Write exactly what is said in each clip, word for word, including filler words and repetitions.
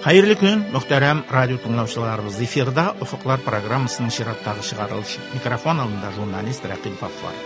Хәерле көн, мөхтәрәм радио тыңлаучыларыбыз. Эфирда Офыклар программасының чираттагы чыгарылышы. Микрофон алдында журналист Рәкыйп Гаффар.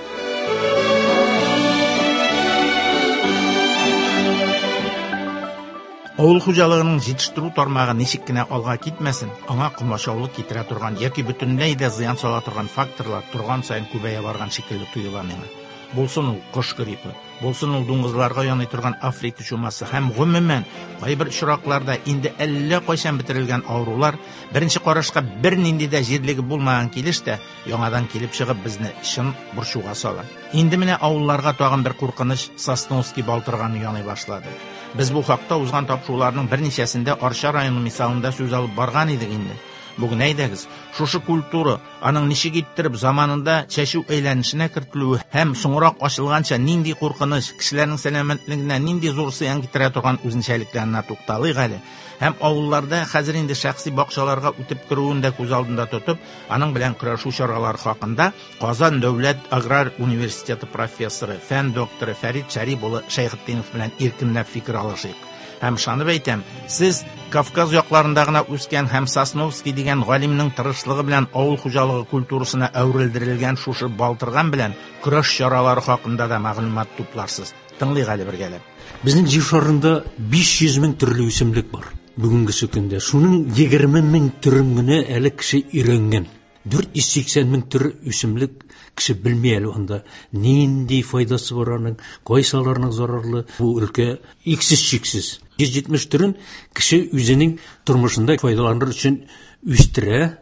Авыл хуҗалыгының җитештерү тармагы ничек кенә алга китмәсен, аңа комачаулык китерә торган яки бөтенләй дә зыян сала торган факторлар торган саен күбәя барган шикелле тоела миңа. Булсын ул кош гриппы, булсын ул дуңгызларга яный торган Африка чумасы һәм гомумән кайбер очракларда инде әллә кайчан бетерелгән авырулар беренче карашка бернинди дә җирлеге булмаган килеш тә яңадан килеп чыгып безне чын борчуга сала. Инде менә авылларга тагын бер куркыныч Сосновский балтырганы яный башлады. Без бу хакта узган тапшыруларның берничәсендә Арча районы мисалында сүз алып барган идек инде. Бүген әйдәгез, шушы культура, аның ничек иттереп заманында чәчү әйләнешенә кертелүе һәм соңрак ачылганча нинди куркыныч, кешеләрнең сәламәтлегенә нинди зур зыян китерә торган үзенчәлекләренә тукталыйк әле. Һәм авылларда хәзер инде шәхси бакчаларга үтеп керүен дә күз алдында тотып, аның белән көрәшү чаралары хакында Казан дәүләт аграр университеты профессоры, фән докторы Фәрит Шәрип улы Шәйхетдинов белән иркенләп фикер алышыйк. Һәм ышанып әйтәм, сез Кавказ якларында гына үскән һәм Сосновский дигән галимнең тырышлыгы белән авыл хуҗалыгы культурасына әверелдерелгән шушы балтырган белән көрәш чаралары хакында да мәгълүмат тупларсыз. Тыңлыйк әле бергәләп. Безнең җир шарында биш йөз мең төрле үсемлек бар бүгенге көндә. Шуның егерме мең төрен генә әле кеше өйрәнгән. Дүрт йөз сиксән мең төр үсемлек кеше белми әле анда. Нинди файдасы бар аның, кайсыларының зарарлы. Бу өлкә иксез-чиксез. Йөз җитмеш төрен кеше үзенең тормышында файдаланыр өчен үстерә.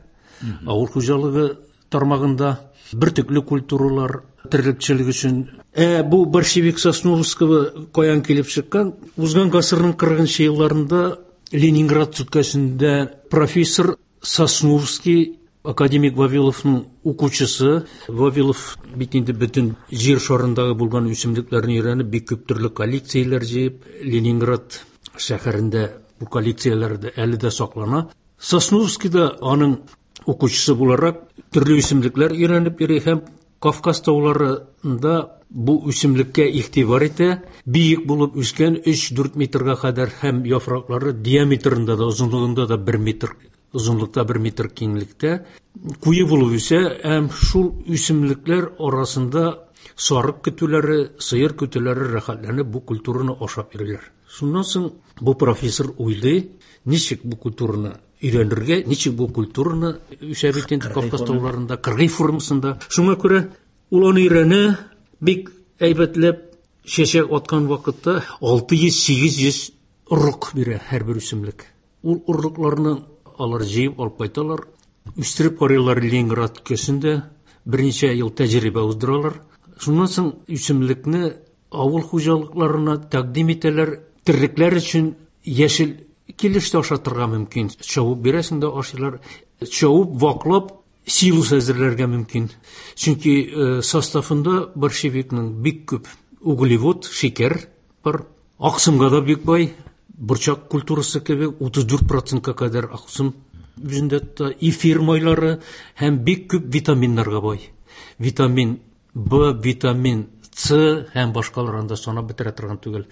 Авыл хуҗалыгы тармагында бөртекле культуралар, терлекчелек өчен. Ә бу борщевик Сосновского каян килеп чыккан? Узган гасырның кырыгынчы елларында Ленинград өлкәсендә профессор Сосновский, академик Вавиловның укучысы. Вавилов бит инде бөтен җир шарындагы булган үсемлекләрне өйрәнеп, бик күп төрле коллекцияләр җыеп, Ленинград шәһәрендә бу коллекцияләр дә әле дә саклана. Сосновский да аның укучысы буларак төрле үсемлекләр өйрәнеп йөри һәм Кавказ тауларында бу үсемлеккә игътибар итә. Биек булып үскән өч-дүрт метрга кадәр һәм яфраклары диаметрында да, озынлыгында да бер метр, озынлыкта бер метр киңлектә куе булып үсә. Һәм шул үсемлекләр арасында сарык көтүләре, сыер көтүләре рәхәтләнеп бу культураны ашап йөриләр. Шуннан соң бу профессор уйлый, ничек бу культураны өйрәнергә, ничек бу культураны үсә бит инде Кавказ тауларында, кыргый формасында. Шуңа күрә ул аны өйрәнә, бик әйбәтләп чәчәк аткан вакытта алты йөз, сигез йөз орлык бирә һәрбер үсемлек. Ул орлыкларны алар җыеп алып кайталар, үстереп карыйлар Ленинград өлкәсендә, берничә ел тәҗрибә уздыралар. Шуннан соң үсемлекне авыл хуҗалыкларына тәкъдим итәләр. Терлекләр өчен яшел килеш тә ашатырга мөмкин. Чабып бирәсең дә ашыйлар. Чабып, ваклап силос әзерләргә мөмкин. Чөнки, э, составында борщевикның бик күп углевод, шикәр бар. Аксымга да бик бай. Борчак культурасы кебек утыз дүрт процентка кадәр аксым үзендә тота. Эфир майлары һәм бик күп витаминнарга бай. Витамин Б, витамин С һәм башкалар анда санап бетерә торган түгел.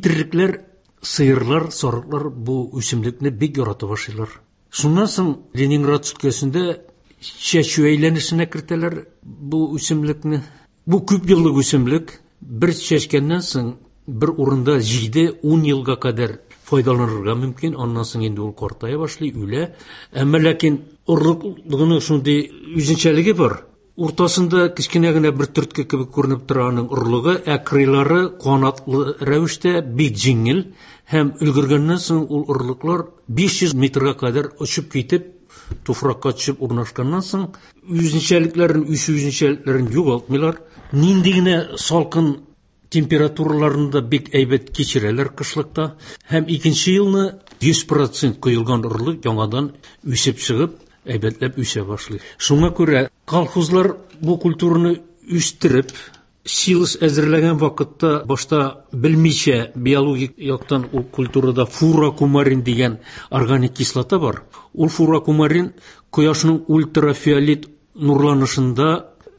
Терлекләр, сыерлар, сарыклар бу үсемлекне бик яратып ашыйлар. Шуннан соң Ленинград өлкәсендә чәчү әйләнешенә кертәләр бу үсемлекне. Бу күп еллык үсемлек. Бер чәчкәннән соң бер урында җиде-ун елга кадәр файдаланырга мөмкин. Аннан соң инде ул картая башлый, үлә. Әмма ләкин орлыклыгының шундый үзенчәлеге бар. Уртасында кечкенә генә бер төртке кебек күренеп тора аның орлыгы, ә кырыйлары канатлы рәвештә бик җиңел һәм өлгергәннән соң ул орлыклар биш йөз метрга кадәр очып китеп, туфракка төшеп урнашканнан соң үзенчәлекләрен, үсү үзенчәлекләрен югалтмыйлар. Нинди генә салкын температураларын да бик әйбәт кичерәләр кышлыкта. Һәм икенче елны йөз процент коелган орлык яңадан үсеп чыгып, әйбәтләп үсә башлый. Шуңа күрә колхозлар бу культураны үстереп, силос әзерләгән вакытта башта белмичә биологик яктан ул культурада фурокумарин дигән органик кислота бар. Ул фурокумарин кояшның ультрафиолет нурланышында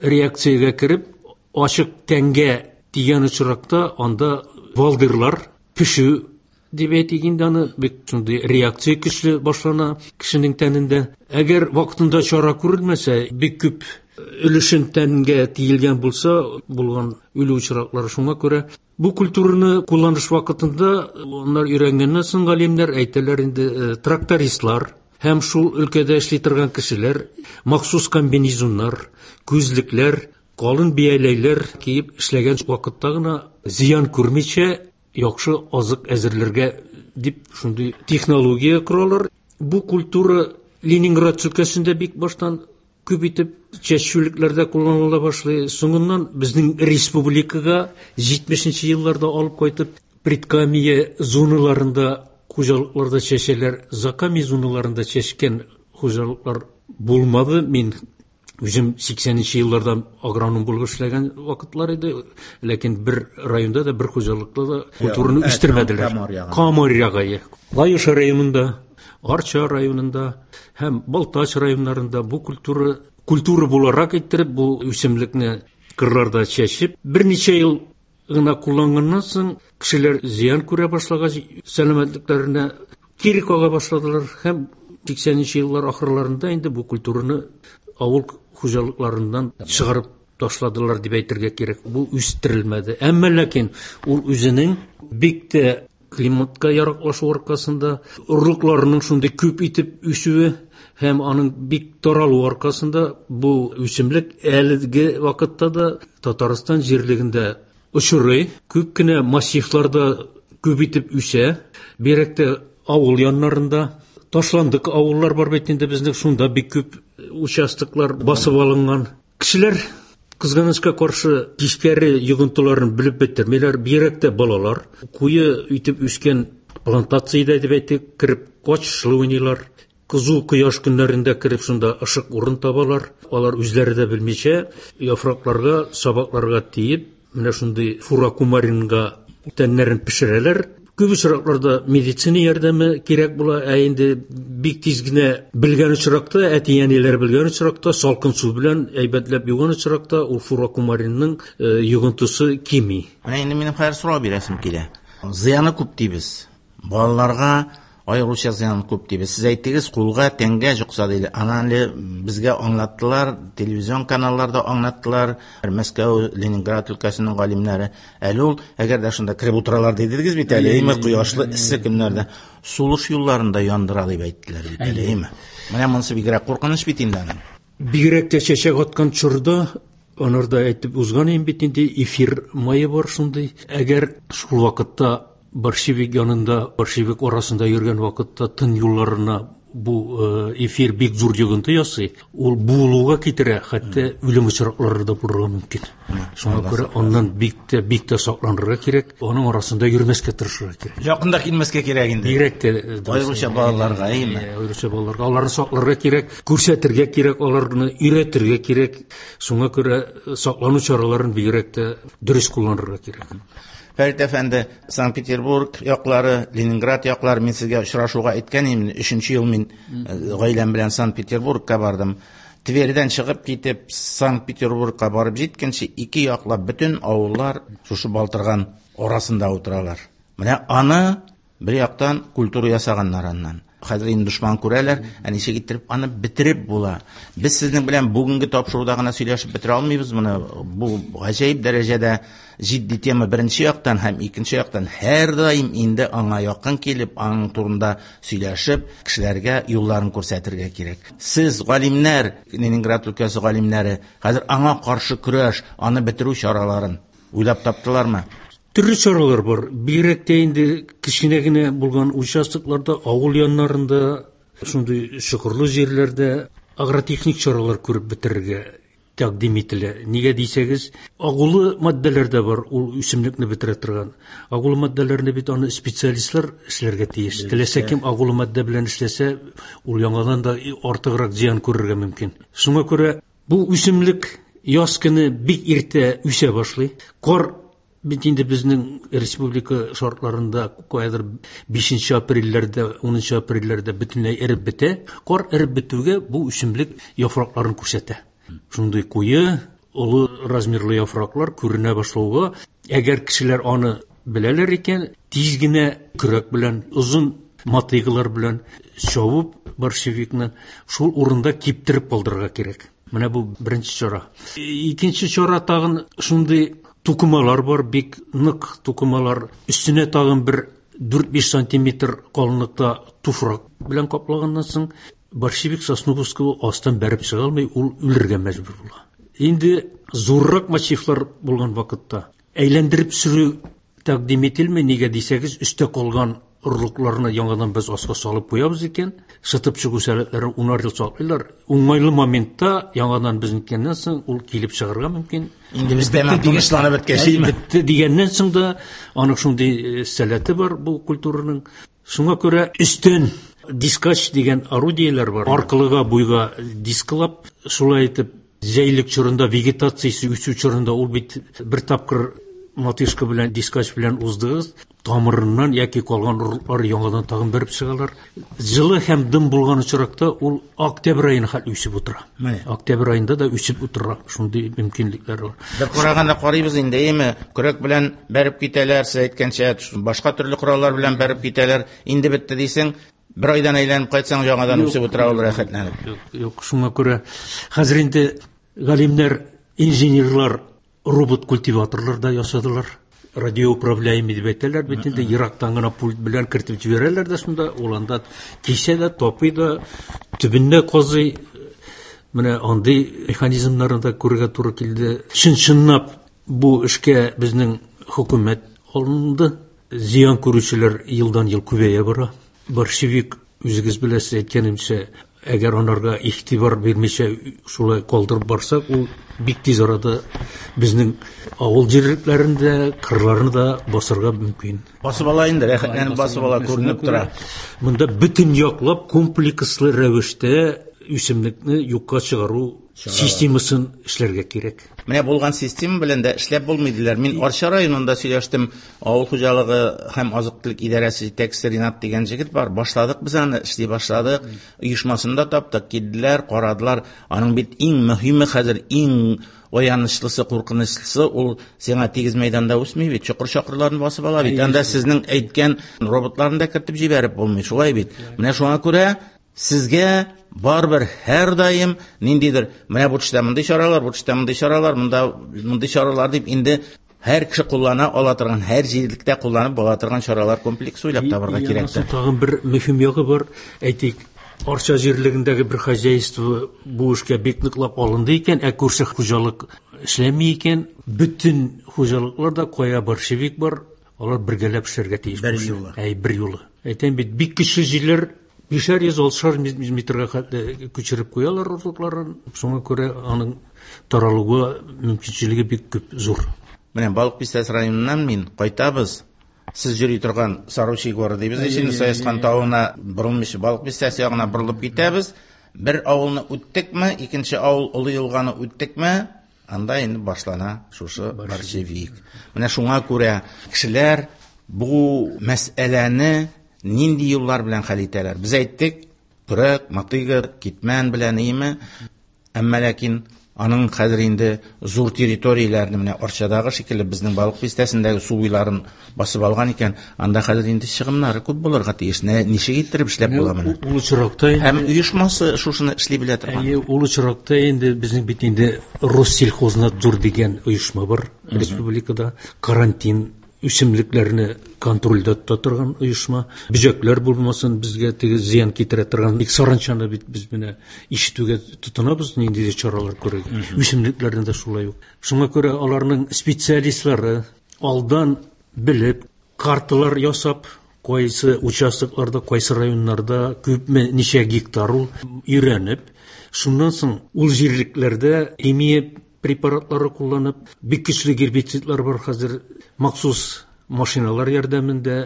реакциягә кереп, ачык тәнгә тигән очракта анда валдырлар пешү дип әйтик инде аны, бик шундый реакция көчле башлана кешенең тәнендә. Әгәр вакытында чара күрелмәсә, бик күп өлешен тәнгә тиелгән булса, булган үлү очраклары. Шуңа күрә бу культураны кулланыш вакытында алар өйрәнгәннән соң галимнәр әйтәләр инде, трактористлар һәм шул өлкәдә эшли торган кешеләр махсус комбинезоннар, күзлекләр, калын бияләйләр киеп эшләгән вакытта гына зыян күрмичә яхшы азык әзерләргә дип шундый технология коралар. Бу культура Ленинград өлкәсендә бик баштан күп итеп чәчүлекләрдә кулланыла башлый. Соңыннан безнең республикага җитмешенче елларда алып кайтып, предкамия зоналарында хуҗалыкларда чәчәләр, закамия зоналарында чәчкән хуҗалыклар булмады. Мин үзем сиксәненче елларда агроном булып эшләгән вакытлар иде, ләкин бер районда да, бер хуҗалыкта да культураны үстермәделәр. Камыр ягы. Лаеш районында, Арча районында һәм Балтач районнарында бу культура культура буларак иттереп, бу үсемлекне кырларда чәчеп, берничә ел гына кулланганнан соң кешеләр зыян күрә башлагач, сәламәтлекләренә кире кага башладылар һәм сиксәненче еллар ахырларында инде бу культураны авыл хуҗалыкларыннан чыгарып ташладылар дип әйтергә кирәк. Бу үстерелмәде. Әмма ләкин ул үзенең бик тә климатка яраклашу аркасында, орлыкларының шундый күп итеп үсүе һәм аның бик таралуы аркасында бу үсемлек әлеге вакытта да Татарстан җирлегендә очрый. Күп кенә массивларда күп итеп үсә. Бигрәк тә авыл яннарында ташландык авыллар бар бит инде безнең, шунда бик күп участоклар басып алынган. Кешеләр кызганычка каршы тискәре йогынтыларын белеп бетермиләр, бигрәк тә балалар. Куе итеп үскән плантациядә дип әйтик, кереп качышлы уйныйлар. Кызу кояш көннәрендә кереп шунда ышык урын табалар. Алар үзләре дә белмичә яфракларга, сабакларга тиеп, менә шундый фуракумаринга тәннәрен пешерәләр. Күп очракларда медицина ярдәме кирәк була, ә инде бик тиз генә белгән очракта, әти-әниләр белгән очракта, салкын су белән әйбәтләп юган очракта ул фуракумаринның йогынтысы кими. Менә инде минем хәзер сорау бирәсем килә. Зыяны күп дибез. Балаларга аеруча зыяны күп дибез. Сез әйттегез, кулга, тәнгә йокса диде. Аны әле безгә аңлаттылар, телевизион каналларда аңлаттылар, Мәскәү, Ленинград өлкәсенең галимнәре. Әле ул, әгәр дә шунда кереп утыралар дидегез бит әле, әйме, кояшлы эссе көннәрдә сулыш юлларында яндыра дип әйттеләр бит әле, әйме. Менә монысы бигрәк куркыныч бит инде аның. Бигрәк тә чәчәк аткан чорда анарда әйтеп узган идем бит инде, эфир мае бар шундый. Әгәр шул вакытта борщевик янында, борщевик арасында йөргән вакытта тын юлларына бу эфир бик зур йогынты ясый, ул буылуга китерә, хәтта үлем очраклары да булырга мөмкин. Шуңа күрә аннан бик тә, бик тә сакланырга кирәк, аның арасында йөрмәскә тырышырга кирәк. Якында килмәскә кирәк инде. Бигрәк тә аеруча балаларга, әйеме? Аеруча балаларга, аларны сакларга кирәк, күрсәтергә кирәк, аларны өйрәтергә кирәк. Шуңа күрә саклану чараларын бигрәк тә дөрес кулланырга кирәк. Фәрит әфәнде, Санкт-Петербург яклары, Ленинград яклары, мин сезгә очрашуга әйткән идем, өченче ел мин гаиләм белән Санкт-Петербургка бардым. Твердән чыгып китеп, Санкт-Петербургка барып җиткәнче, ике яклап бөтен авыллар шушы балтырган арасында утыралар. Менә аны бер яктан культура ясаганнар аннан. Хәзер инде дошман күрәләр, ә ничек иттереп аны бетереп була. Без сезнең белән бүгенге тапшыруда гына сөйләшеп бетерә алмыйбыз моны. Бу гаҗәеп дәрәҗәдә җитди тема беренче яктан һәм икенче яктан һәрдаим инде аңа якын килеп, аның турында сөйләшеп, кешеләргә юлларын күрсәтергә кирәк. Сез галимнәр, Ленинград өлкәсе галимнәре, хәзер аңа каршы көрәш, аны бетерү чараларын уйлап таптылармы? Төрле чаралар бар. Бигрәк тә инде кечкенә генә булган участокларда, авыл яннарында, шундый чокырлы җирләрдә агротехник чаралар күреп бетерергә тәкъдим ителә. Нигә дисәгез, агулы матдәләр дә бар, ул үсемлекне бетерә торган. Агулы матдәләрне бит аны специалистлар эшләргә тиеш. Теләсә кем агулы матдә белән эшләсә, ул яңадан да артыграк зыян күрергә мөмкин. Шуңа күрә бу үсемлек яз көне бик иртә үсә башлый. Кар бит инде безнең республика шартларында каядыр бишенче апрельләрдә, унынчы апрельләрдә бөтенләй эреп бетә. Кар эреп бетүгә бу үсемлек яфракларын күрсәтә. Шундый куе, олы размерлы яфраклар күренә башлауга, әгәр кешеләр аны беләләр икән, тиз генә көрәк белән, озын мотыйгалар белән чабып борщевикны шул урында киптереп калдырырга кирәк. Менә бу беренче чара. Икенче чара тагын шундый тукымалар бар, бик нык тукымалар. Өстенә тагын бер дүрт-биш сантиметр калынлыкта туфрак белән каплаганнан соң борщевик сосновского астан бәреп чыга алмый, ул үлергә мәҗбүр була. Инде зуррак массивлар булган вакытта әйләндереп сөрү тәкъдим ителми, нигә дисәгез, өстә калган орлыкларны яңадан без аска салып куябыз икән, шытып чыгу сәләтләрен унар ел саклыйлар. Уңайлы моментта яңадан без ниткәннән соң ул килеп чыгарга мөмкин. Инде без тәмам тынычланып беткәч, Әй, бетте дигәннән соң да аның шундый сәләте бар бу культураның. Шуңа күрә өстен дискач дигән орудиеләр бар. Аркылыга буйга дисклап, шулай итеп җәйлек чорында, вегетациясе үсү чорында ул бит бер тапкыр мотышка белән, дискач белән уздыгыз, тамырыннан яки калган орлыклар яңадан тагын бәреп чыгалар. Җылы һәм дым булган очракта ул октябрь аена хәтле үсеп утыра. Менә. Октябрь аенда да үсеп утыра, шундый мөмкинлекләр бар. Бер караганда карыйбыз инде, әйме, көрәк белән бәреп китәләр, сез әйткәнчә, башка төрле кораллар белән бәреп китәләр. Инде бетте дисең, бер айдан әйләнеп кайтсаң, яңадан Юк. үсеп утыра ул рәхәтләнеп. Юк, юк, шуңа күрә хәзер инде галимнәр, инженерлар робот-культиваторлар да ясадылар. Радиоуправляемый дип әйтәләр бит инде, ерактан гына пульт белән кертеп җибәрәләр дә шунда, ул анда кисә дә, тапый да, төбендә казый. Менә андый механизмнарны да күрергә туры килде. Чын-чынлап бу эшкә безнең хөкүмәт алынды. Зыян күрүчеләр елдан-ел күбәя бара. Борщевик, үзегез беләсез, әйткәнемчә, әгәр анарга игътибар бирмичә шулай калдырып барсак, ул бик тиз арада безнең авыл җирлекләрендә, кырларны да басырга мөмкин. Басып ала инде, рәхәтләнеп басып ала, күренеп тора. Монда бөтен яклап комплекслы рәвештә үсемлекне юкка чыгару системасын эшләргә кирәк. Менә булган система белән дә эшләп булмый диләр. Мин Арча районында сөйләштем, авыл хуҗалыгы һәм азык-төлек идарәсе җитәкчесе Ринат дигән җегет бар. Башладык без аны, эшли башладык. Оешмасын да таптык, килделәр, карадылар. Аның бит иң мөһиме хәзер, иң аянычлысы, куркынычлысы ул сиңа тигез мәйданда үсми бит, чокыр-чакырларны басып ала бит. Анда сезнең әйткән роботларны да кертеп җибәреп булмый, шулай бит. Менә шуңа күрә сезгә барыбер һәр даим ниндидер, менә бу төштә мондый чаралар, бу төштә мондый чаралар, монда мондый чаралар дип инде һәр кеше куллана ала торган, һәр җирлектә кулланып була торган чаралар комплексы уйлап табарга И- кирәктер. Янасы тагын бер мөһим ягы бар. Әйтик, Арча җирлегендәге бер хозяйство бу эшкә бик ныклап алынды икән, ә күрше хуҗалык эшләми икән, бөтен хуҗалыкларда кая борщевик бар, алар бергәләп эшләргә тиеш. Бер юлы. Әй, бер юлы. Әйтәм бит, бик көчле җилләр бишәр йөз, алтышар метрга хәтле күчереп куялар орлыкларын. Шуңа күрә аның таралуы мөмкинчелеге бик күп, зур. Менә Балык Бистәсе районыннан мин кайтабыз. Сез йөри торган Саручий горы дибез, инде Саескан тавына борылмыйча Балык Бистәсе ягына борылып китәбез. Бер авылны үттекме, икенче авыл Олы Елганы үттекме, анда инде башлана шушы борщевик. Менә шуңа күрә кешеләр бу мәсьәләне нинди юллар белән хәл итәләр? Без әйттек, көрәк, мотыга, китмән белән име? Әмма ләкин аның хәзер инде зур территорияләрне, менә Арчадагы шикелле безнең Балык Бистәсендәге су буйларын басып алган икән, анда хәзер инде чыгымнары күп булырга тиеш. Нә, ничек иттереп эшләп була моны? Ул очракта инде Һәм оешмасы шушыны эшли белә торган. Әйе, ул очракта инде безнең бит инде Россельхознадзор дигән оешма бар республикада. Карантин үсемлекләрне контрольдә тота торган оешма. Бөҗәкләр булмасын, безгә теге зыян китерә торган. Бик саранчаны бит без менә ишетүгә тотынабыз, нинди чаралар күрергә. Үсемлекләрне дә шулай ук. Шуңа күрә аларның специалистлары алдан белеп, карталар ясап, кайсы участокларда, кайсы районнарда күпме, ничә гектар ул өйрәнеп, шуннан соң ул җирлекләрдә химия препаратлары кулланып, бик көчле гербицидлар бар хәзер, махсус машиналар ярдәмендә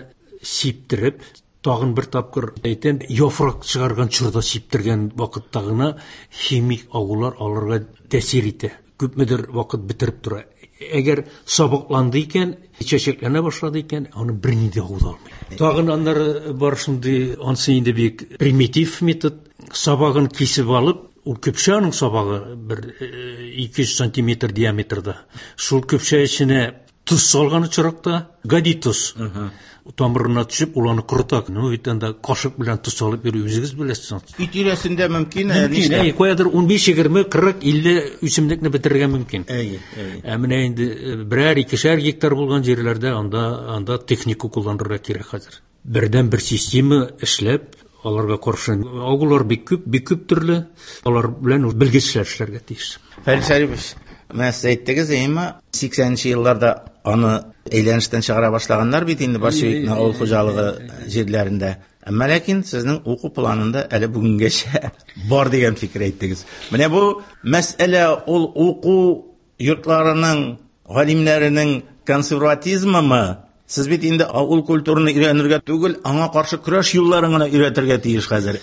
сиптереп, тагын бер тапкыр әйтәм, яфрак чыгарган чорда сиптергән вакытта гына химик агулар аларга тәэсир итә. Күпмедер вакыт бетереп тора. Әгәр сабакланды икән, чәчәкләнә башлады икән, аны берни дә агу да алмый. Тагын аннары бар шундый, ансы инде бик примитив метод, сабагын кисеп алып, ул көпшә аның сабагы бер, э, ике йөз сантиметр диаметрда. Шул көпшә эченә Тоз салган очракта, гади тоз. Тамырына төшеп, ул аны корыта. Ну, бит анда кашык белән тоз салып йөрү үзегез беләсез. Өй тирәсендә мөмкин, Мөмкин, әй, каядыр ун биш, егерме, кырык, илле үсемлекне бетерергә мөмкин. Әй, әй. Ә менә инде берәр, икешәр гектар булган җирләрдә анда, анда техника кулланырга кирәк хәзер. Бердән бер система эшләп, аларга каршы агулар бик күп, бик күп төрле, алар белән белгечләр эшләргә тиеш. Фәрит Шәрипович, менә сез әйттегез, әйеме, сиксәненче елларда аны әйләнештән чыгара башлаганнар бит инде борщевикны авыл хуҗалыгы җирләрендә. Әмма ләкин сезнең уку планында әле бүгенгәчә бар дигән фикер әйттегез. Менә бу мәсьәлә ул уку йортларының, галимнәренең консерватизмымы? Сез бит инде авыл культураны өйрәнергә түгел, аңа каршы көрәш юлларын гына өйрәтергә тиеш хәзер.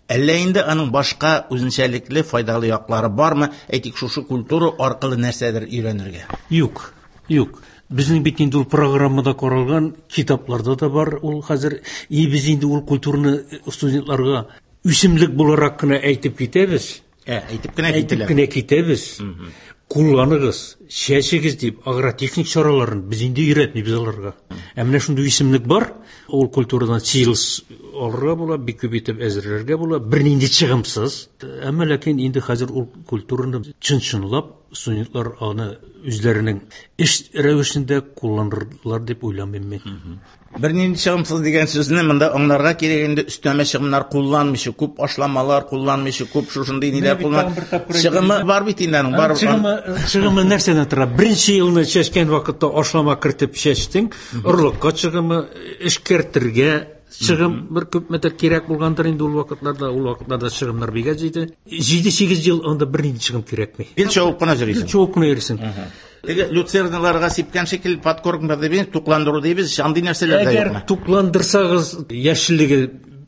Әллә инде аның башка үзенчәлекле файдалы яклары бармы? Әйтик, шушы культура аркылы нәрсәдер өйрәнергә? Юк, юк. Безнең бит инде ул программада каралган, китапларда да бар ул хәзер. И без инде ул культураны студентларга үсемлек буларак кына әйтеп китәбез. Ә, әйтеп кенә Әйтеп кителә. кенә китәбез. Кулланыгыз, чәчегез дип агротехник чараларын без инде өйрәтмибез аларга. Ә менә шундый үсемлек бар, ул культурадан силос алырга була, бик күп итеп әзерләргә була, бернинди чыгымсыз. Әмма ләкин инде хәзер ул культураны чын-чынлап студентлар аны үзләренең эш рәвешендә кулланырлар дип уйламыйм мин. Бернинди чыгымсыз дигән сүзне монда аңларга кирәк инде, өстәмә чыгымнар кулланмыйча, күп ашламалар кулланмыйча, күп шушындый ниләр Менә бит куллан- тагын бер тапкыр әйтеп Чыгымы бар бит инде аның, бар. Чыгымы, чыгымы нәрсәдән тора? Беренче елны чәчкән вакытта ашлама кертеп чәчтең, орлыкка чыгымы, эшкәртергә чыгым бер күпмедер кирәк булгандыр инде ул вакытларда, ул вакытларда чыгымнар бик әз иде. Җиде-сигез ел анда бернинди чыгым кирәкми. Гел чабып кына йөрисең. Гел чабып кына йөрисең. Теге люцерналарга сипкән шикелле подкормка дибез, тукландыру дибез, андый нәрсәләр дә Әгәр юкмы? тукландырсагыз, яшеллеге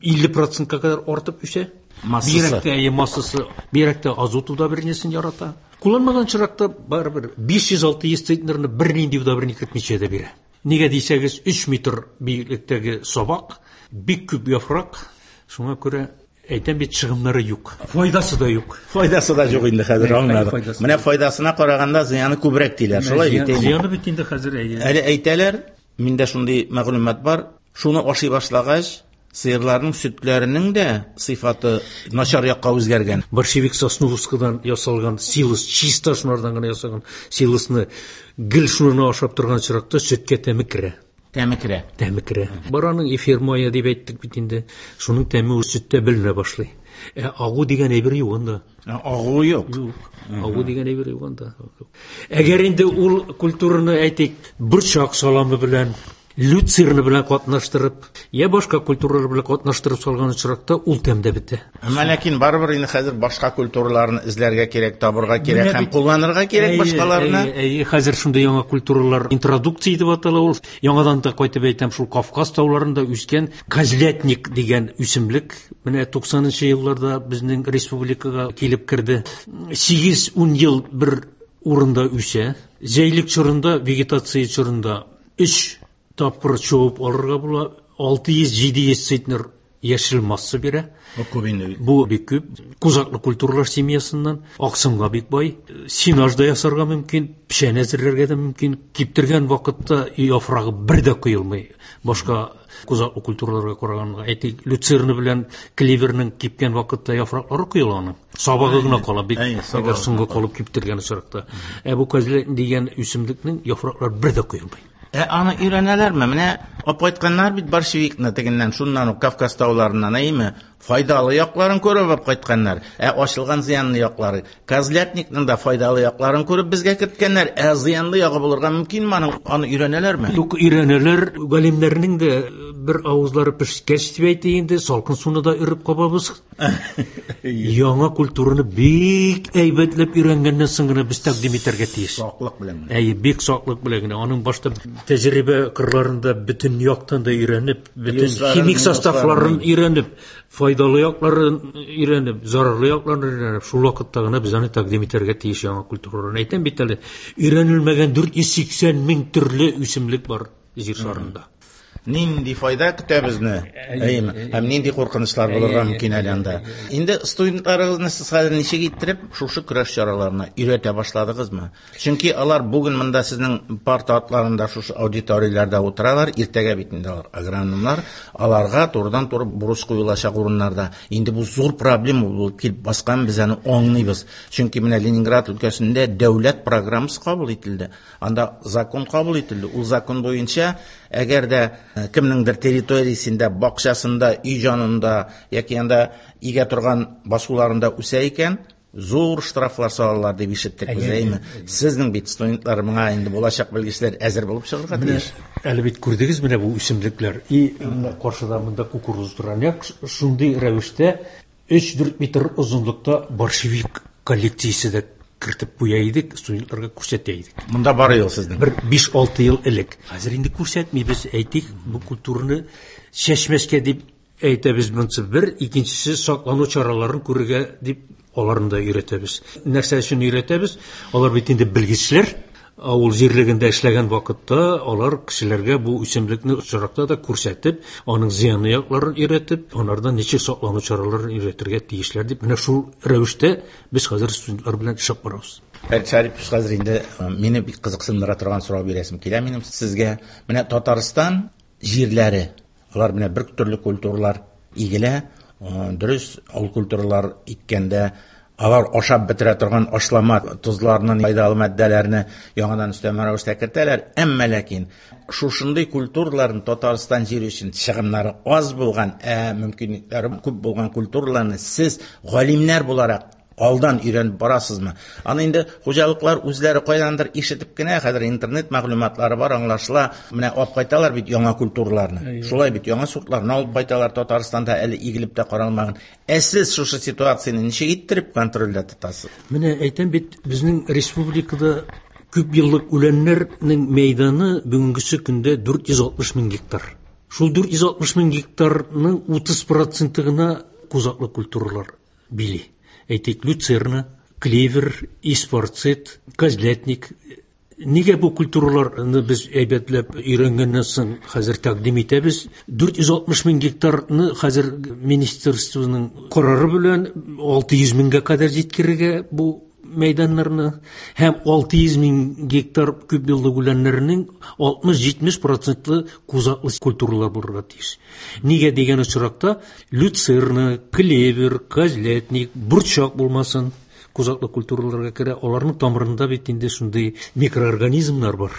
илле процентка кадәр артып үсә. Массасы. Бигрәк тә, әйе, массасы, бигрәк тә азот удобрениесен ярата. Кулланмаган чиракта барыбер биш йөз алты йөз центнерны бернинди удобрение кертмичә дә бирә. Нигә дисәгез, өч метр биеклектәге сабак, бик күп яфрак, шуңа күрә әйтәм бит, чыгымнары юк. Файдасы да юк. Файдасы да юк инде хәзер, Әй, аңладык. файдасы Менә файдасына караганда зыяны күбрәк диләр. Шулай бит инде. Зыяны бит инде хәзер, әйе. Әле әйтәләр, миндә шундый мәгълүмат бар, шуны ашый башлагач, сыерларның сөтләренең дә сыйфаты начар якка үзгәргән. Борщевик сосновскадан ясалган силос, чиста шунардан гына ясалган силосны гел шуны ашап торган чиракта сөткә тәме керә. Тәме керә. Тәме керә. Бараның эфир мае дип әйттек бит инде. Шуның тәме ул сөттә беленә башлый. Ә агу дигән әйбер юк анда. Ә, агу юк. Юк. Агу дигән әйбер юк анда. Әгәр инде ул культураны әйтик, борчак саламы белән, люцерна белән катнаштырып, я башка культуралар белән катнаштырып салган очракта ул тәм дә бетә. Әмма ләкин барыбер инде хәзер башка культураларны эзләргә кирәк, табырга кирәк Менә һәм бит- кулланырга кирәк Әйе, башкаларны. әйе, әйе, хәзер шундый яңа культуралар интродукция дип атала ул. Яңадан да кайтып әйтәм, шул Кавказ тауларында үскән козлятник дигән үсемлек менә туксанынчы елларда безнең республикага килеп керде. Сигез-ун ел бер урында үсә. Җәйлек чорында, вегетация чорында өч тапкыр чабып алырга була. Алты йөз, җиде йөз центнер яшел масса бирә. Бу күп инде бит. Бу бик күп. Кузаклы культуралар семьясыннан аксымга бик бай. Сенаж да ясарга мөмкин, печән әзерләргә дә мөмкин. Киптергән вакытта яфрагы бер дә коелмый. Башка кузаклы культураларга караганда, әйтик, люцерна белән клеверның кипкән вакытта яфраклары коела аның. Сабагы гына кала бик, Әйе, сабагы әгәр соңга калып киптергән очракта. Ә бу козлятник дигән үсемлекнең яфраклары бер дә коелмый. Ә аны өйрәнәләрме? Менә алып кайтканнар бит борщевикны тегеннән, шуннан ук Кавказ тауларыннан, әйеме? Файдалы якларын күреп алып кайтканнар. Ә ачылган зыянлы яклары, козлятникның да файдалы якларын күреп безгә керткәннәр. Ә зыянлы ягы булырга мөмкинме аның? Аны өйрәнәләрме? Юк, өйрәнәләр. Галимнәрнең дә бер авызлары пешкәч дип әйтә инде, салкын суны да өреп кабабыз. Яңа культураны бик әйбәтләп өйрәнгәннән соң гына без тәкъдим итәргә тиеш. Саклык белән генә. Әйе, бик саклык белән генә. Аның башта тәҗрибә кырларында бөтен яктан да өйрәнеп, бөтен Плюсларын, химик минусларын составларын өйрәнеп, файдалы якларын өйрәнеп, зарарлы якларын өйрәнеп, шул вакытта гына без аны тәкъдим итәргә тиеш яңа культураларын. Әйтәм бит әле, өйрәнелмәгән дүрт йөз сиксән мең төрле үсемлек бар җир шарында. Нинди файда көтә безне? Әйеме? Һәм нинди куркынычлар булырга мөмкин әле анда? Инде студентларыгызны сез хәзер ничек иттереп шушы көрәш чараларына өйрәтә башладыгызмы? Чөнки алар бүген монда сезнең парта атларында шушы аудиторияләрдә утыралар, иртәгә бит инде алар агрономнар, аларга турыдан-туры бурыч куелачак урыннарда. Инде бу зур проблема булып килеп баскан, без аны аңлыйбыз. Чөнки менә Ленинград өлкәсендә дәүләт программасы кабул ителде. Анда закон кабул ителде. Ул закон буенча, әгәр дә кемнеңдер территориясендә, бакчасында, өй җанында яки анда игә торган басуларында үсә икән, зур штрафлар салалар дип ишеттек без, әйеме? Сезнең бит студентлар моңа инде булачак белгечләр әзер булып чыгарга тиеш. Әле бит күрдегез менә бу үсемлекләр. И каршыда монда кукуруз тора. Нәкъ шундый рәвештә өч-дүрт метр озынлыкта борщевик коллекциясе дә кертеп куя идек, студентларга күрсәтә идек. Монда бар ел сезнең. Бер биш-алты ел элек. Хәзер инде күрсәтмибез, әйтик, бу культураны чәчмәскә дип әйтәбез монсы бер, икенчесе саклану чараларын күрергә дип аларны да өйрәтәбез. Нәрсә өчен өйрәтәбез? Алар бит инде белгечләр. Авыл җирлегендә эшләгән вакытта алар кешеләргә бу үсемлекне очракта да күрсәтеп, аның зыянлы якларын өйрәтеп, анардан ничек саклану чараларын өйрәтергә тиешләр дип, менә шул рәвештә без хәзер студентлар белән эшләп барабыз. Фәрит Шарипович, хәзер инде мине бик кызыксындыра торган сорау бирәсем килә минем сезгә. Менә Татарстан җирләре, алар менә бер төрле культуралар игелә, дөрес, ул культуралар иккәндә алар ашап бетерә торган ашлама, тозларны, файдалы матдәләрне яңадан өстәмә рәвештә кертәләр. Әмма ләкин шушындый культураларны Татарстан җире өчен чыгымнары аз булган, ә мөмкинлекләре күп булган культураларны сез галимнәр буларак алдан өйрәнеп барасызмы? Аны инде хуҗалыклар үзләре кайдандыр ишетеп кенә, хәзер интернет мәгълүматлары бар, аңлашыла. Менә алып кайталар бит яңа культураларны. Шулай бит яңа сортларны алып кайталар Татарстанда әле игелеп тә каралмаган. Ә сез шушы ситуацияне ничек иттереп контрольдә тотасыз? Менә әйтәм бит, безнең республикада күп еллык үләннәрнең мәйданы бүгенгесе көндә дүрт йөз алтмыш мең гектар. Шул дүрт йөз алтмыш мең гектарның утыз проценты гына кузаклы культуралар били. Әйтик, люцерна, клевер, испарцет, козлятник. Нигә бу культураларны без әйбәтләп өйрәнгәннән соң хәзер тәкъдим итәбез? Дүрт йөз алтмыш мең гектарны хәзер министерствоның карары белән алты йөз меңгә кадәр җиткерергә бу мәйданнарны һәм алты йөз мең гектар күп еллык үләннәрнең алтмыш-җитмеш процентлы кузаклы культуралар булырга тиеш. Нигә дигән очракта люцерна, клевер, козлятник, борчак булмасын кузаклы культураларга керә. Аларның тамырында бит инде шундый микроорганизмнар бар.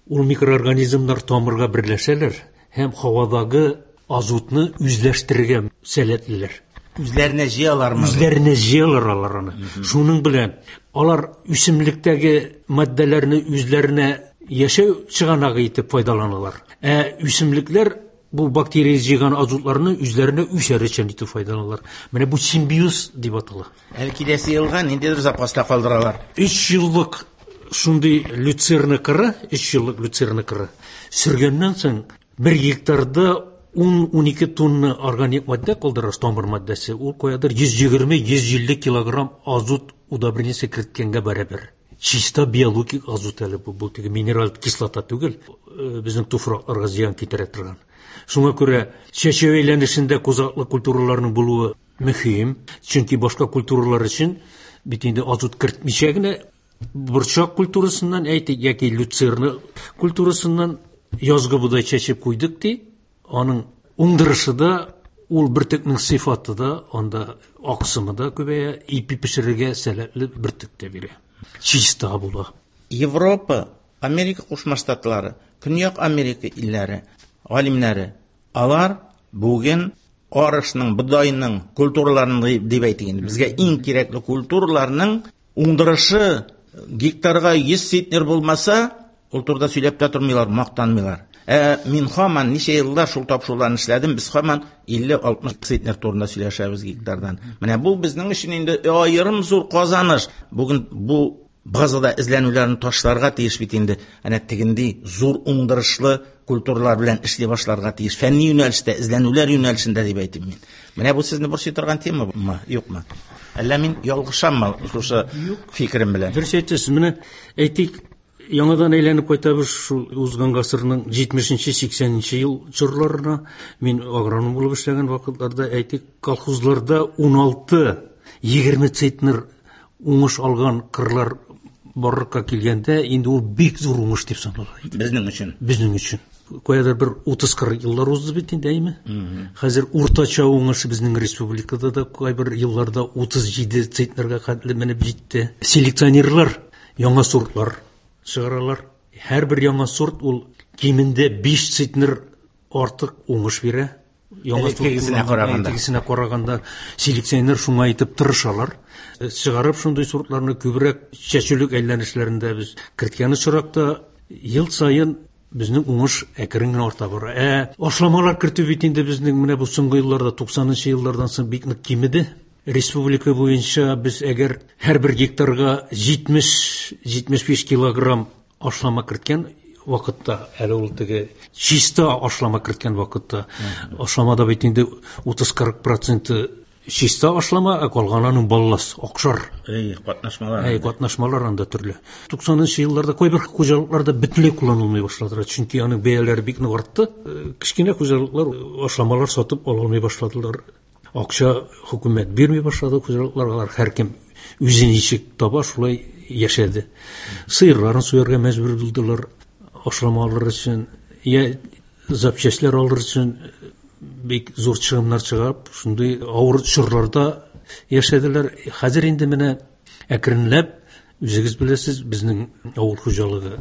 Ул микроорганизмнар тамырга берләшәләр һәм һавадагы азотны үзләштерергә сәләтлеләр. Үзләренә җыялармы? Үзләренә җыялар алар аны. Шуның белән алар үсемлектәге матдәләрне үзләренә яшәү чыганагы итеп файдаланалар. Ә үсемлекләр бу бактерия җыйган азотларны үзләренә үсәр өчен итеп файдаланалар. Менә бу симбиоз дип атала. Әле киләсе елга ниндидер запаста калдыралар. Өч еллык шундый люцерна кыры, өч еллык люцерна кыры сөргәннән соң бер гектарда ун-унике тонна органик матдә калдырасыз, тамыр матдәсе. Ул каядыр йөз егерме, йөз илле килограмм азот удобрениесе керткәнгә барабер. Чиста биологик азот әле бу, бу теге минераль кислота түгел, э, безнең туфракларга зыян китерә торган. Шуңа күрә чәчәү әйләнешендә кузаклы культураларның булуы мөһим, чөнки башка культуралар өчен бит инде азот кертмичә генә борчак культурасыннан әйтик яки люцерна культурасыннан язгы бодай чәчеп куйдык ди, аның уңдырышы да, ул бөртекнең сыйфаты да, анда аксымы да күбәя, ипи пешерергә сәләтле бөртек тә бирә. Чиста була. Европа, Америка Кушма Штатлары, Көньяк Америка илләре, галимнәре, алар бүген арышның, бодайның культураларын дип әйтик инде, безгә иң кирәкле культураларның уңдырышы гектарга йөз центнер булмаса, ул турыда сөйләп тә тормыйлар, мактанмыйлар. Ә мин һаман ничә еллар шул тапшыруларны эшләдем, без һаман илле-алтмыш центнер турында сөйләшәбез гектардан. Менә бу безнең өчен инде аерым зур казаныш. Бүген бу базада эзләнүләрне ташларга тиеш бит инде. Әнә тегенди зур уңдырышлы культуралар белән эшли башларга тиеш. Фәнни юнәлештә, эзләнүләр юнәлешендә дип әйтим мин. Менә бу сезне борчый торган темамы, юкмы? Әллә мин ялгышаммы шушы фикерем белән? Дөрес әйтәсез. Менә әйтик, Яңадан әйләнеп кайтабыз шул узган гасырның җитмешенче, сиксәненче ел чорларына. Мин агроном булып эшләгән вакытларда, әйтик, колхозларда уналты, егерме центнер уңыш алган кырлар барлыкка килгәндә, инде ул бик зур уңыш дип санала иде. Безнең өчен. Безнең өчен. Каядыр бер утыз-кырык еллар узды бит инде, әйме? Хәзер уртача уңыш безнең республикада да кайбер елларда утыз җиде центнерга хәтле менеп җитте. Селекционерлар яңа сортлар чыгаралар. Һәрбер яңа сорт ул кимендә биш центнер артык уңыш бирә. Яңа сорт Элеккегесенә караганда. Элеккегесенә караганда селекционер шуңа итеп тырышалар. Чыгарып шундый сортларны күбрәк чәчүлек әйләнешләрендә без керткән очракта ел саен безнең уңыш әкрен генә арта бара. Ә ашламалар кертү бит инде безнең менә бу соңгы елларда, туксанынчы еллардан соң бик нык кимеде. Республика буенча без әгәр һәрбер гектарга җитмеш, җитмеш биш килограмм ашлама керткән вакытта, әле ул теге чиста ашлама керткән вакытта, ашламада бит инде утыз-кырык проценты чиста ашлама, ә калганының баллас, акшар. Эй, катнашмалар. Әй, катнашмалар анда төрле. Туксанынчы елларда кайбер хуҗалыкларда бөтенләй кулланылмый башладылар, чөнки аның бәяләре бик нык артты. Кечкенә хуҗалыклар ашламалар сатып ала алмый башладылар. Акча хөкүмәт бирми башлады хуҗалыкларга, алар һәркем үзе ничек таба, шулай яшәде. Сыерларын суярга мәҗбүр булдылар ашлама алыр өчен, я запчастьлар алыр өчен бик зур чыгымнар чыгып, шундый авыр чорларда яшәделәр. Хәзер инде менә әкренләп, үзегез беләсез, безнең авыл хуҗалыгы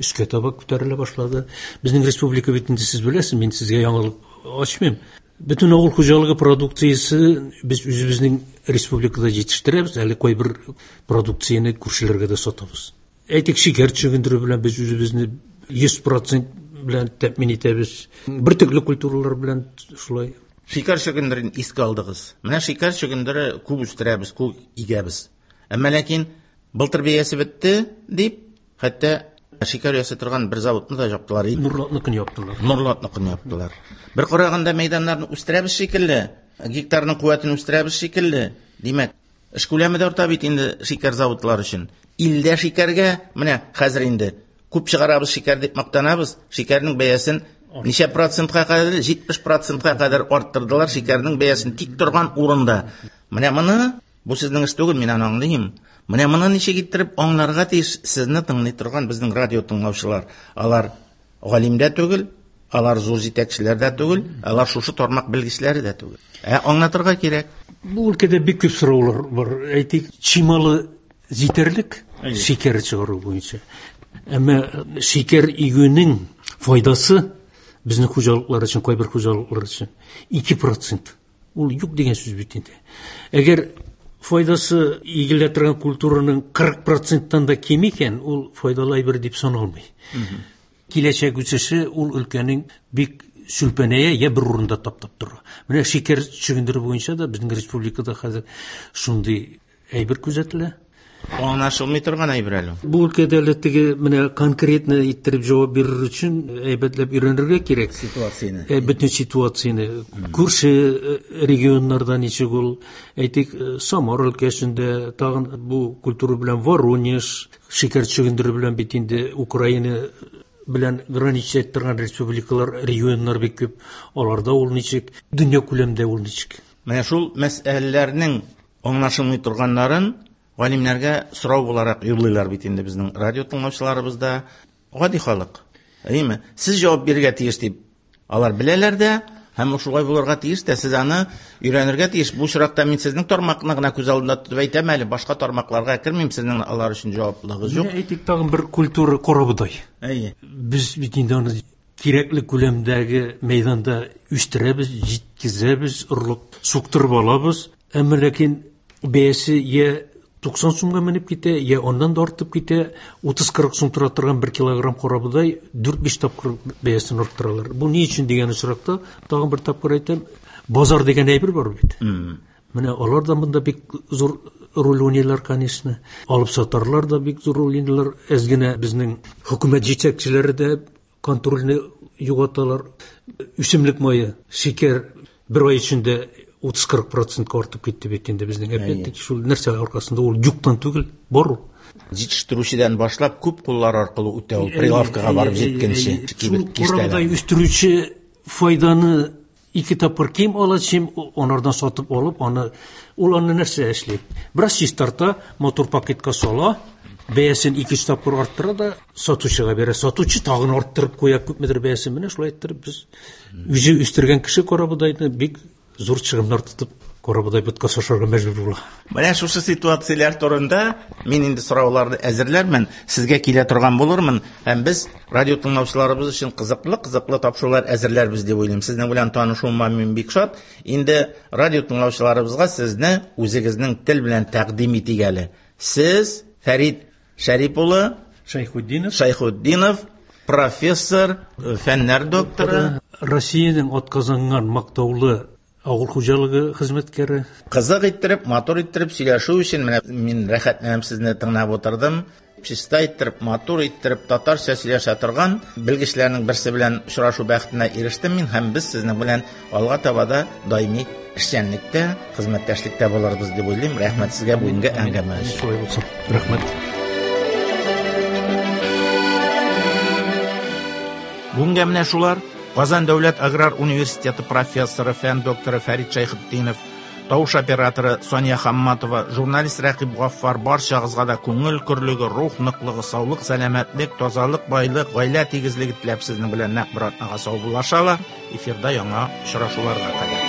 өскә таба күтәрелә башлады. Безнең республика бит инде сез беләсез, мин сезгә яңалык ачмыйм. Бөтен авыл хуҗалыгы продукциясе без үзебезнең республикада җитештерәбез, әле кайбер продукцияне күршеләргә дә сатабыз. Әйтик, шикәр чөгендере белән без үзебезне йөз процент белән тәэмин итәбез. Бөртекле культуралар белән шулай. Шикәр чөгендерен искә алдыгыз. Менә шикәр чөгендере күп үстерәбез, күп игәбез. Әмма ләкин былтыр бәясе бетте дип, хәтта шикәр ясый торган бер заводны да яптылар. Нурлатныкын яптылар. Нурлатныкын яптылар. Бер караганда мәйданнарны үстерәбез шикелле, гектарның куәтен үстерәбез шикелле. Димәк, эш күләме дә арта бит инде шикәр заводлары өчен. Илдә шикәргә менә хәзер инде күп чыгарабыз шикәр дип мактанабыз. Шикәрнең бәясен ничә процентка кадәр? Җитмеш процентка кадәр арттырдылар шикәрнең бәясен тик торган урында. Менә моны, бу сезнең эш түгел, мин аны аңлыйм. Менә моны ничек иттереп аңларга тиеш сезне тыңлый торган безнең радио тыңлаучылар. Алар галим дә түгел, алар зур җитәкчеләр дә түгел, алар шушы тармак белгечләре дә түгел. Ә аңлатырга кирәк. Бу өлкәдә бик күп сораулар бар. Әйтик, чималы җитәрлек шикәр чыгару буенча. Әмма шикәр игүнең файдасы безнең хуҗалыклар өчен, кайбер хуҗалыклар өчен ике процент. Ул юк дигән сүз бит инде. Әгәр файдасы игелә торган культураның кырык проценттан да ким икән, ул файдалы әйбер дип саналмый. Киләчәк үсеше ул өлкәнең бик сүлпәнәя я бер урында таптап тора. Менә шикәр чөгендере буенча да безнең республикада хәзер шундый әйбер күзәтелә. Аңлашылмый торган әйбер әле. Бу өлкәдә әле теге менә конкретно иттереп җавап бирер өчен әйбәтләп өйрәнергә кирәк. Ситуацияне. Э, бөтен ситуацияне. Күрше, э, регионнарда ничек ул, әйтик, э, Самар өлкәсендә тагын бу культура белән Воронеж, шикәр чөгендере белән бит инде Украина белән граничать торган республикалар, регионнар бик күп. Аларда ул ничек, дөнья күләмендә ул ничек. Менә шул мәсьәләләрнең аңлашылмый торганнарын галимнәргә сорау буларак юллыйлар бит инде безнең радио тыңлаучыларыбыз да, гади халык. Әйеме? Сез җавап бирергә тиеш дип алар беләләр дә, һәм шулай булырга тиеш тә, сез аны өйрәнергә тиеш. Бу очракта мин сезнең тармакны гына күз алдында тотып әйтәм әле, башка тармакларга кермим, сезнең алар өчен җаваплылыгыз юк. Менә әйтик, тагын бер культура карабодай. Әйе. Без бит инде аны кирәкле күләмдәге мәйданда үстерәбез, җиткезәбез, орлык суктырып алабыз. Әмма ләкин бәясе я туксан сумга менеп китә, я аннан да артып китә. Утыз-кырык сум тора торган бер килограмм карабодай дүрт-биш тапкыр бәясен арттыралар. Бу ни өчен дигән очракта, тагын бер тапкыр әйтәм, базар дигән әйбер бар бит. Мм. Менә алар да монда бик зур роль уйныйлар, конечно. Алып сатарлар да бик зур роль уйныйлар. Әз генә безнең хөкүмәт җитәкчеләре дә контрольне югалталар. Үсемлек мае, шикәр бер ай эчендә утыз-кырык процентка артып китте бит инде безнең. Опять-таки шул нәрсә аркасында, ул юктан түгел, бар ул. Җитештерүчедән башлап күп куллар аркылы үтә ул, прилавкага барып җиткәнче. Шул карабодай үстерүче файданы ике тапкыр ким ала, чем анардан сатып алып, аны ул аны нәрсә эшли? Бераз чистарта, матур пакетка сала, бәясен ике-өч тапкыр арттыра да сатучыга бирә. Сатучы тагын арттырып куя күпмедер бәясен. Менә шулай иттереп без үзе үстергән кеше карабодайны бик зур чыгымнар тотып карабодай боткасы ашарга мәҗбүр була. Менә шушы ситуацияләр турында мин инде сорауларны әзерләрмен, сезгә килә торган булырмын һәм без радио тыңлаучыларыбыз өчен кызыклы-кызыклы тапшырулар әзерләрбез дип уйлыйм. Сезнең белән танышуыма мин бик шат. Инде радио тыңлаучыларыбызга сезне үзегезнең тел белән тәкъдим итик әле. Сез Фәрит Шәрип улы Шәйхетдинов, Шәйхетдинов, профессор, фәннәр докторы, Россиянең атказанган мактаулы авыл хуҗалыгы хезмәткәре. Кызык иттереп, матур иттереп сөйләшү өчен менә мин рәхәтләнеп сезне тыңлап утырдым. Чиста иттереп, матур иттереп татарча сөйләшә торган белгечләрнең берсе белән очрашу бәхетенә ирештем мин һәм без сезнең белән алга таба да даими эшчәнлектә, хезмәттәшлектә булырбыз дип уйлыйм. Рәхмәт сезгә бүгенге әңгәмә өчен. Шулай булсын. Рәхмәт. Бүгенгә менә шулар. Казан дәүләт аграр университеты профессоры, фән докторы Фәрит Шәйхетдинов, тавыш операторы Сания Хамматова, журналист Рәкыйп Гаффар барчагызга да күңел көрлеге, рух ныклыгы, саулык, сәламәтлек, тазалык, байлык, гаилә тигезлеге теләп сезнең белән нәкъ бер атнага саубуллашалар. Эфирда яңа очрашуларга кадәр.